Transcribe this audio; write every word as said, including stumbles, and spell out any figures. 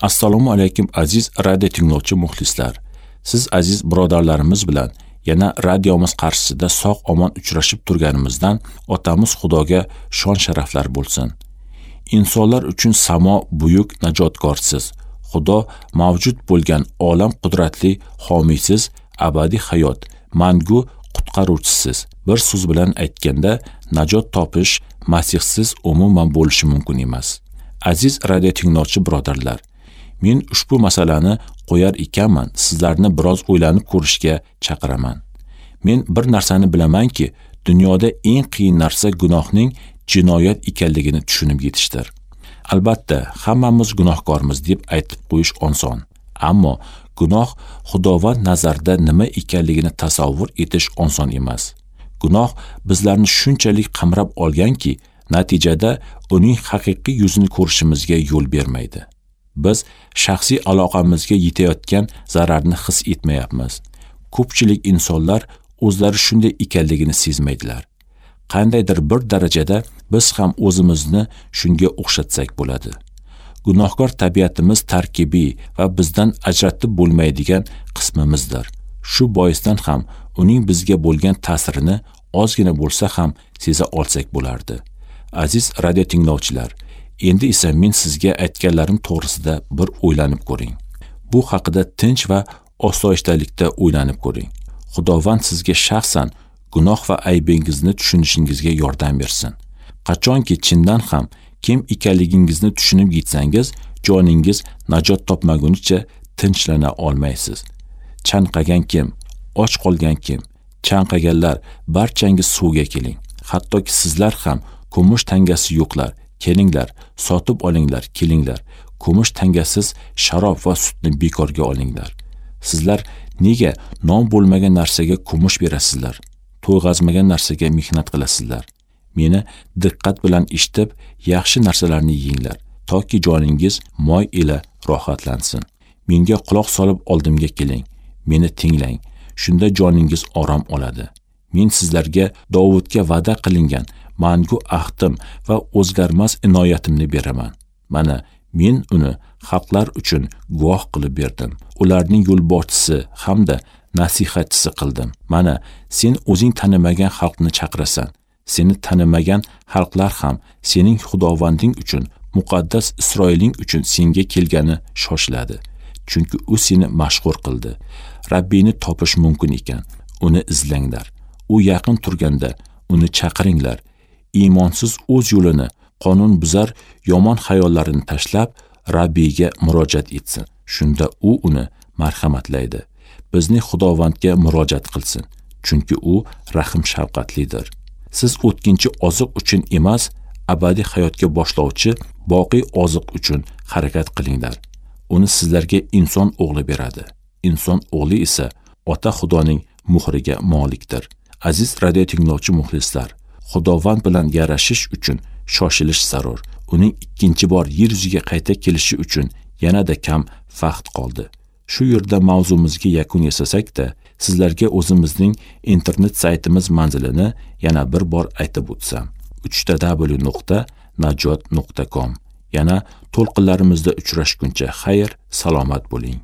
Assalomu alaykum aziz radio tinglovchi muxlislar. Siz aziz birodarlarimiz bilan yana radiomiz qarshisida sog' omon uchrashib turganimizdan otamiz Xudoga shon sharaflar bo'lsin. Insonlar uchun samo buyuk najotkorsiz, Xudo mavjud bo'lgan olam qudratli homiysiz, abadiy hayot, mangu qutqaruvchisiz. Bir so'z bilan aytganda, najot topish Masihsiz umuman bo'lishi mumkin emas. Aziz radio tinglovchi birodarlar, men ushbu masalani qo'yar ekanman, sizlarni biroz o'ylanib ko'rishga chaqiraman. Men bir narsani bilamanki, dunyoda eng qiyin narsa gunohning jinoyat ekanligini tushunib yetishdir. Albatta, hammamiz gunohkormiz deb aytib qo'yish oson. Ammo gunoh Xudovand nazarida nima ekanligini tasavvur etish oson emas. Gunoh bizlarni shunchalik qamrab olganki, natijada uning haqiqiy yuzini ko'rishimizga yo'l bermaydi. Biz shaxsiy aloqamizga yetayotgan zararni his etmayapmiz. Ko'pchilik insonlar o'zlari shunday ekanligini sezmaydilar. Qandaydir bir darajada biz ham o'zimizni shunga o'xshatsak bo'ladi. Gunohkor tabiatimiz tarkibiy va bizdan ajratib bo'lmaydigan qismimizdir. Shu boisdan ham uning bizga bo'lgan ta'sirini ozgina bo'lsa ham seza olsak bo'lardi. Aziz radio tinglovchilar, endi esa men sizga aytganlarim to'g'risida bir o'ylanib ko'ring. Bu haqida tinch va osoyishtalikda o'ylanib ko'ring. Xudovand sizga shaxsan gunoh va aybingizni tushunishingizga yordam bersin. Qachonki chindan ham kim ekanligingizni tushunib yetsangiz, joningiz najot topmagunicha tinchlana olmaysiz. Chanqagan kim, och qolgan kim, chanqaganlar barchangiz suvga keling. Hattoki sizlar ham kumush tangasi yo'qlar, kelinglar, sotib olinglar, kelinglar. Kumush tangasiz sharob va sutni bekorga olinglar. Sizlar nega non bo'lmagan narsaga kumush berasizlar? To'yg'azmagan narsaga mehnat qilasizlar. Meni diqqat bilan eshitib, yaxshi narsalarni yeyinglar, toki joningiz moy ila rohatlansin. Menga quloq solib oldimga keling, meni tinglang. Shunda joningiz orom oladi. Men sizlarga Dovudga va'da qilingan mangu ahdim va o'zgarmas inoyatimni beraman. Mana men uni xalqlar uchun guvoh qilib berdim. Ularning yo'lboshchisi hamda nasihatchisi qildim. Mana sen o'zing tanimagan xalqni chaqirasan. Seni tanimagan xalqlar ham sening Xudovanding uchun, muqaddas Isroiling uchun senga kelgani shoshiladi. Chunki u seni mashhur qildi. Rabbini topish mumkin ekan, uni izlanglar. U yaqin turganda uni chaqiringlar. Iymonsiz o'z yo'lini, qonun buzar yomon xayollarini tashlab, Rabbiyga murojaat etsin. Shunda u uni marhamatlaydi. Bizning Xudovandga murojaat qilsin, chunki u rahim shafqatlidir. Siz o'tkinchi oziq uchun emas, abadiy hayotga boshlovchi boqiy oziq uchun harakat qilinglar. Uni sizlarga inson o'g'li beradi. Inson o'g'li esa Ota Xudoning muhriga molikdir. Aziz radio tinglovchi muxlislar, Xudovand bilan yarashish uchun shoshilish zarur. Uning ikkinchi bor yer yuziga qayta kelishi uchun yanada kam vaqt qoldi. Shu yerda mavzumizga yakun yasasak-da, sizlarga o'zimizning internet saytimiz manzilini yana bir bor aytib o'tsam: uch ta w nuqta najot nuqta com. Yana to'lqinlarimizda uchrashguncha xayr, salomat bo'ling.